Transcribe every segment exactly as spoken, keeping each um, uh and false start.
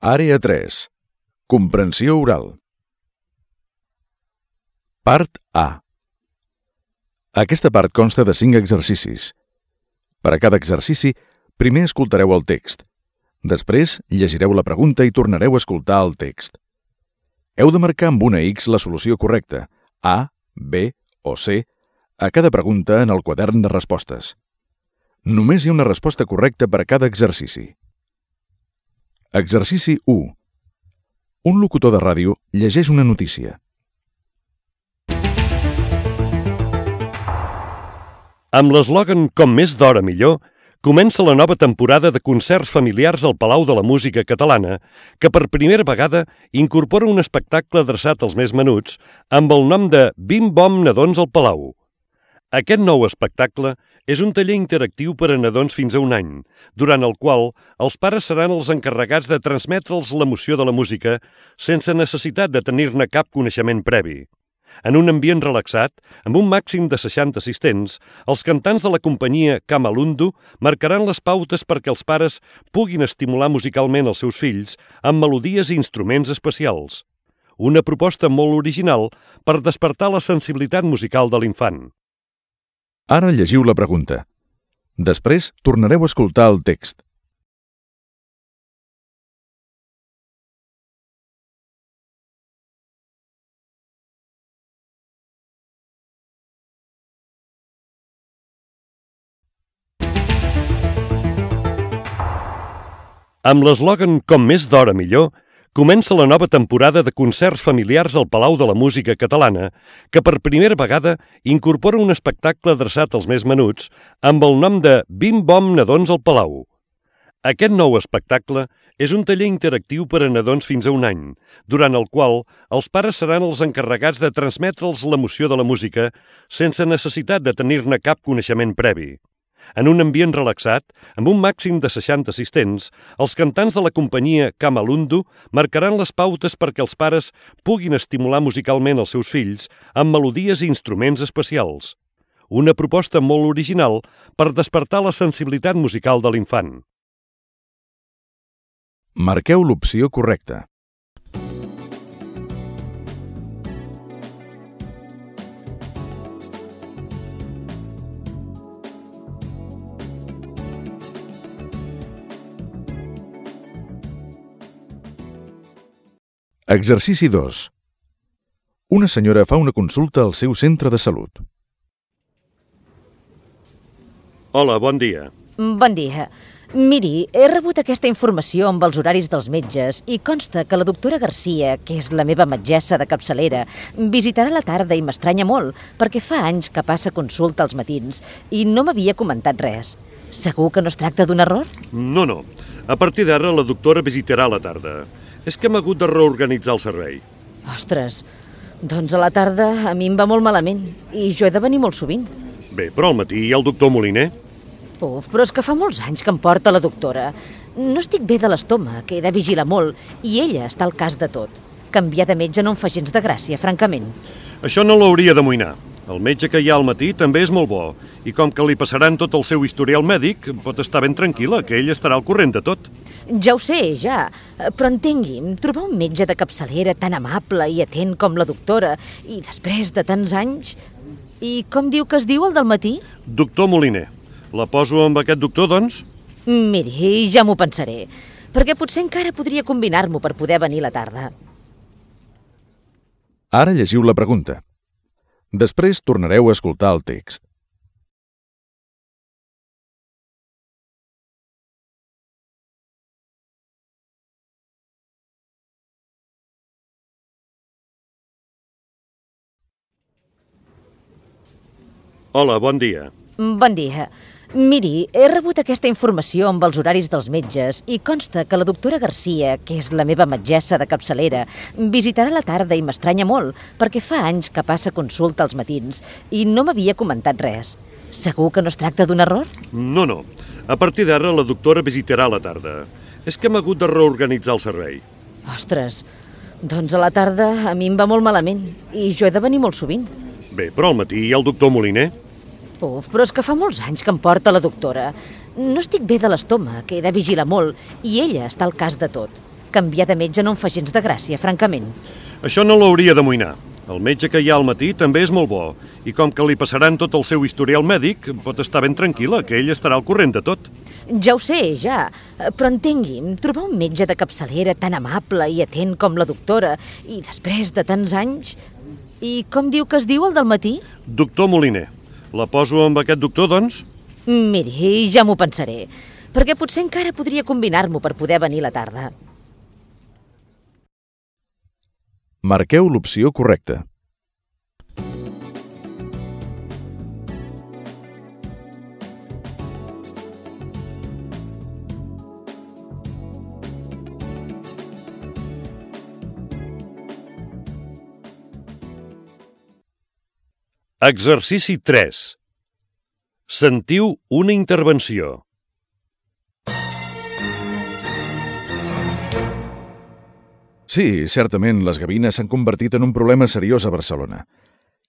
Àrea tres. Comprensió oral. Part A. Aquesta part consta de cinc exercicis. Per a cada exercici, primer escoltareu el text. Després, llegireu la pregunta i tornareu a escoltar el text. Heu de marcar amb una X la solució correcta, A, B o C, a cada pregunta en el quadern de respostes. Només hi ha una resposta correcta per a cada exercici. Exercici u. Un locutor de ràdio llegeix una notícia. Amb l'eslògan «Com més d'hora millor», comença la nova temporada de concerts familiars al Palau de la Música Catalana, que per primera vegada incorpora un espectacle adreçat als més menuts amb el nom de Bim-Bom Nadons al Palau. Aquest nou espectacle és un taller interactiu per a nadons fins a un any, durant el qual els pares seran els encarregats de transmetre'ls l'emoció de la música sense necessitat de tenir-ne cap coneixement previ. En un ambient relaxat, amb un màxim de seixanta assistents, els cantants de la companyia Kamalundu marcaran les pautes perquè els pares puguin estimular musicalment els seus fills amb melodies i instruments especials. Una proposta molt original per despertar la sensibilitat musical de l'infant. Ara llegiu la pregunta. Després tornareu a escoltar el text. Amb l'eslògan «Com més d'hora millor», comença la nova temporada de concerts familiars al Palau de la Música Catalana, que per primera vegada incorpora un espectacle adreçat als més menuts amb el nom de Bim-Bom Nadons al Palau. Aquest nou espectacle és un taller interactiu per a nadons fins a un any, durant el qual els pares seran els encarregats de transmetre'ls l'emoció de la música sense necessitat de tenir-ne cap coneixement previ. En un ambient relaxat, amb un màxim de seixanta assistents, els cantants de la companyia Kamalundu marcaran les pautes perquè els pares puguin estimular musicalment els seus fills amb melodies i instruments especials. Una proposta molt original per despertar la sensibilitat musical de l'infant. Marqueu l'opció correcta. Exercici dos. Una senyora fa una consulta al seu centre de salut. Hola, bon dia. Bon dia. Miri, he rebut aquesta informació amb els horaris dels metges i consta que la doctora Garcia, que és la meva metgessa de capçalera, visitarà a la tarda i m'estranya molt perquè fa anys que passa consulta als matins i no m'havia comentat res. Segur que no es tracta d'un error? No, no. A partir d'ara la doctora visitarà a la tarda. És que hem hagut de reorganitzar el servei. Ostres, doncs a la tarda a mi em va molt malament i jo he de venir molt sovint. Bé, però al matí hi ha el doctor Moliner. Uf, però és que fa molts anys que em porta la doctora. No estic bé de l'estómac, he de vigilar molt i ella està al cas de tot. Canviar de metge no em fa gens de gràcia, francament. Això no l'hauria d'amoïnar. El metge que hi ha al matí també és molt bo i com que li passaran tot el seu historial mèdic, pot estar ben tranquil·la, que ell estarà al corrent de tot. Ja ho sé, ja, però entengui'm, trobar un metge de capçalera tan amable i atent com la doctora i després de tants anys... I com diu que es diu el del matí? Doctor Moliner. La poso amb aquest doctor, doncs? Miri, ja m'ho pensaré, perquè potser encara podria combinar-m'ho per poder venir a la tarda. Ara llegiu la pregunta. Després tornareu a escoltar el text. Hola, bon dia. Bon dia. Miri, he rebut aquesta informació amb els horaris dels metges i consta que la doctora Garcia, que és la meva metgessa de capçalera, visitarà a la tarda i m'estranya molt perquè fa anys que passa consulta als matins i no m'havia comentat res. Segur que no es tracta d'un error? No, no. A partir d'ara la doctora visitarà a la tarda. És que hem hagut de reorganitzar el servei. Ostres, doncs a la tarda a mi em va molt malament i jo he de venir molt sovint. Bé, però al matí hi ha el doctor Moliner. Uf, però és que fa molts anys que em porta la doctora. No estic bé de l'estómac, he de vigilar molt i ella està al cas de tot. canviar de metge no em fa gens de gràcia, francament. Això no l'hauria d'amoïnar. El metge que hi ha al matí també és molt bo, i com que li passaran tot el seu historial mèdic, pot estar ben tranquil·la, que ell estarà al corrent de tot. Ja ho sé, ja, però entengui'm, trobar un metge de capçalera tan amable i atent com la doctora, i després de tants anys... I com diu que es diu el del matí? Doctor Moliner. La poso amb aquest doctor, doncs? Miri, ja m'ho pensaré, perquè potser encara podria combinar-m'ho per poder venir a la tarda. Marqueu l'opció correcta. Exercici tres. Sentiu una intervenció. Sí, certament, les gavines s'han convertit en un problema seriós a Barcelona.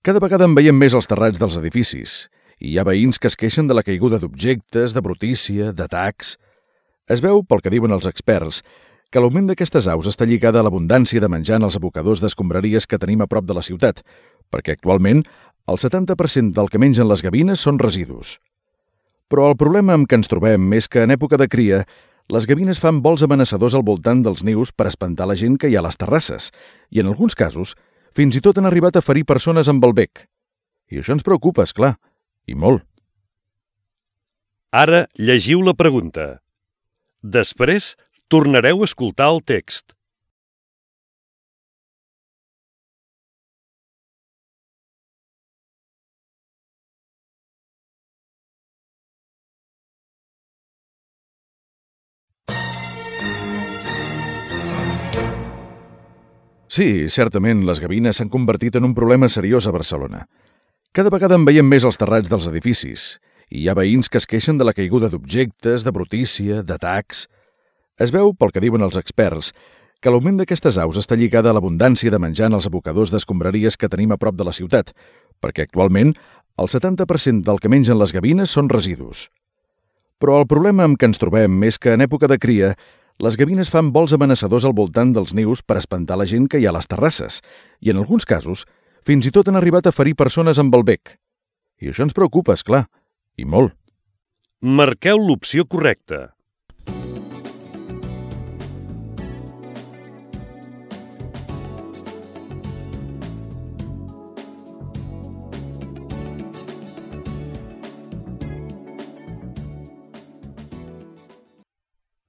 Cada vegada en veiem més als terrats dels edificis, i hi ha veïns que es queixen de la caiguda d'objectes, de brutícia, d'atacs... Es veu, pel que diuen els experts, que l'augment d'aquestes aus està lligada a l'abundància de menjar en els abocadors d'escombraries que tenim a prop de la ciutat, perquè actualment el setanta per cent del que mengen les gavines són residus. Però el problema amb què ens trobem és que en època de cria les gavines fan vols amenaçadors al voltant dels nius per espantar la gent que hi ha a les terrasses i, en alguns casos, fins i tot han arribat a ferir persones amb el bec. I això ens preocupa, esclar, i molt. Ara llegiu la pregunta. Després tornareu a escoltar el text. Sí, certament, les gavines s'han convertit en un problema seriós a Barcelona. Cada vegada en veiem més als terrats dels edificis, i hi ha veïns que es queixen de la caiguda d'objectes, de brutícia, d'atacs... Es veu, pel que diuen els experts, que l'augment d'aquestes aus està lligada a l'abundància de menjar en els abocadors d'escombraries que tenim a prop de la ciutat, perquè actualment el setanta per cent del que mengen les gavines són residus. Però el problema amb què ens trobem és que en època de cria les gavines fan vols amenaçadors al voltant dels nius per espantar la gent que hi ha a les terrasses i, en alguns casos, fins i tot han arribat a ferir persones amb el bec. I això ens preocupa, esclar, i molt. Marqueu l'opció correcta.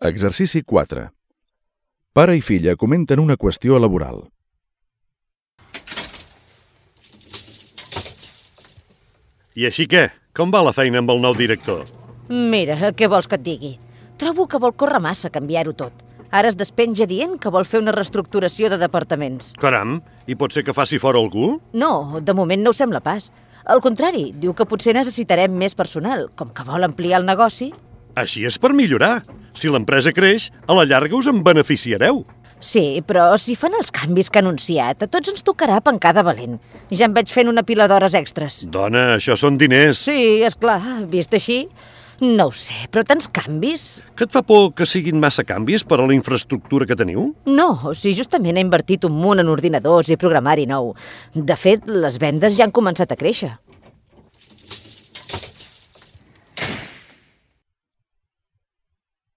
Exercici quatre. Pare i filla comenten una qüestió laboral. I així què? Com va la feina amb el nou director? Mira, què vols que et digui? Trobo que vol córrer massa canviar-ho tot. Ara es despenja dient que vol fer una reestructuració de departaments. Caram, i pot ser que faci fora algú? No, de moment no ho sembla pas. Al contrari, diu que potser necessitarem més personal, com que vol ampliar el negoci. Així és per millorar. Si l'empresa creix, a la llarga us en beneficiareu. Sí, però si fan els canvis que ha anunciat, a tots ens tocarà pencar de valent. Ja em veig fent una pila d'hores extres. Dona, això són diners. Sí, és clar, vist així. No ho sé, però tants canvis... Que et fa por que siguin massa canvis per a la infraestructura que teniu? No, si justament he invertit un munt en ordinadors i programari nou. De fet, les vendes ja han començat a créixer.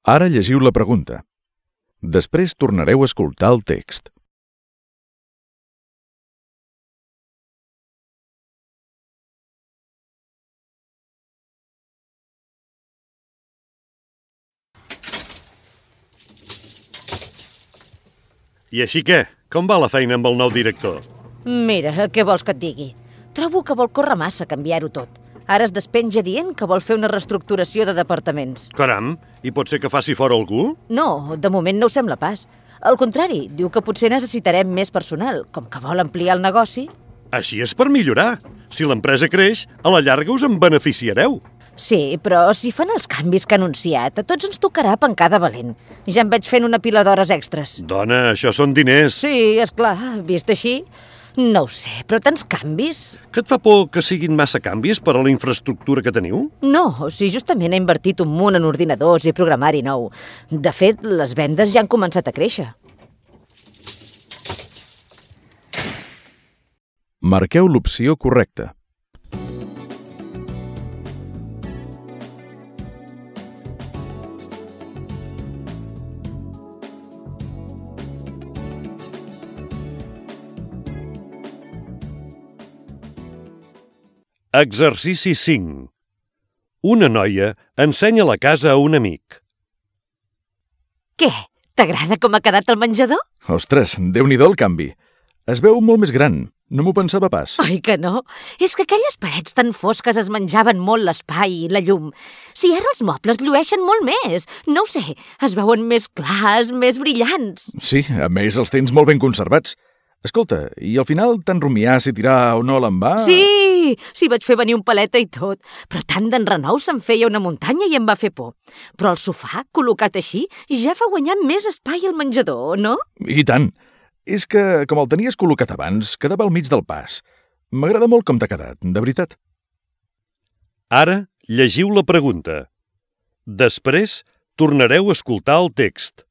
Ara llegiu la pregunta. Després tornareu a escoltar el text. I així què? Com va la feina amb el nou director? Mira, què vols que et digui? Trobo que vol córrer massa canviar-ho tot. Ara es despenja dient que vol fer una reestructuració de departaments. Caram, i pot ser que faci fora algú? No, de moment no ho sembla pas. Al contrari, diu que potser necessitarem més personal, com que vol ampliar el negoci. Així és per millorar. Si l'empresa creix, a la llarga us en beneficiareu. Sí, però si fan els canvis que ha anunciat, a tots ens tocarà pencar de valent. Ja em veig fent una pila d'hores extres. Dona, això són diners. Sí, és clar, vist així... No ho sé, però tants canvis... Que et fa por que siguin massa canvis per a la infraestructura que teniu? No, si justament he invertit un munt en ordinadors i programari nou. De fet, les vendes ja han començat a créixer. Marqueu l'opció correcta. Exercici cinc. Una noia ensenya la casa a un amic. Què? T'agrada com ha quedat el menjador? Ostres, déu-n'hi-do el canvi. Es veu molt més gran. No m'ho pensava pas. Oi que no? És que aquelles parets tan fosques es menjaven molt l'espai i la llum. Si ara els mobles llueixen molt més. No ho sé, es veuen més clars, més brillants. Sí, a més els tens molt ben conservats. Escolta, i al final t'han rumiar si tirar o no l'envà? Sí, sí, vaig fer venir un paleta i tot. Però tant d'enrenou se'm feia una muntanya i em va fer por. Però el sofà, col·locat així, ja fa guanyar més espai al menjador, no? I tant. És que, com el tenies col·locat abans, quedava al mig del pas. M'agrada molt com t'ha quedat, de veritat. Ara llegiu la pregunta. Després tornareu a escoltar el text.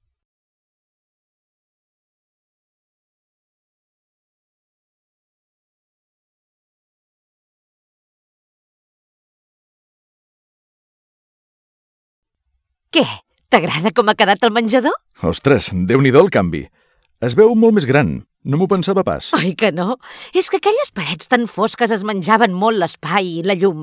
Què? T'agrada com ha quedat el menjador? Ostres, déu-n'hi-do el canvi. Es veu molt més gran. No m'ho pensava pas. Oi que no? És que aquelles parets tan fosques es menjaven molt l'espai i la llum.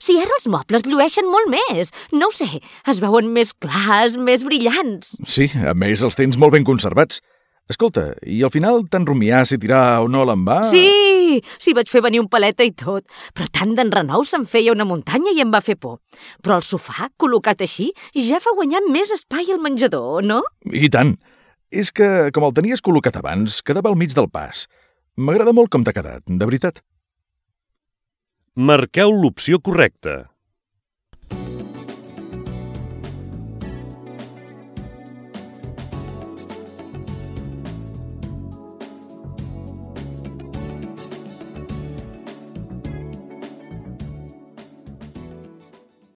Si ara els mobles llueixen molt més. No ho sé, es veuen més clars, més brillants. Sí, a més els tens molt ben conservats. Escolta, i al final t'han rumiar si tirar o no l'envà? Sí, sí, vaig fer venir un paleta i tot. Però tant d'enrenou se'm feia una muntanya i em va fer por. Però el sofà, col·locat així, ja fa guanyar més espai al menjador, no? I tant. És que, com el tenies col·locat abans, quedava al mig del pas. M'agrada molt com t'ha quedat, de veritat. Marqueu l'opció correcta.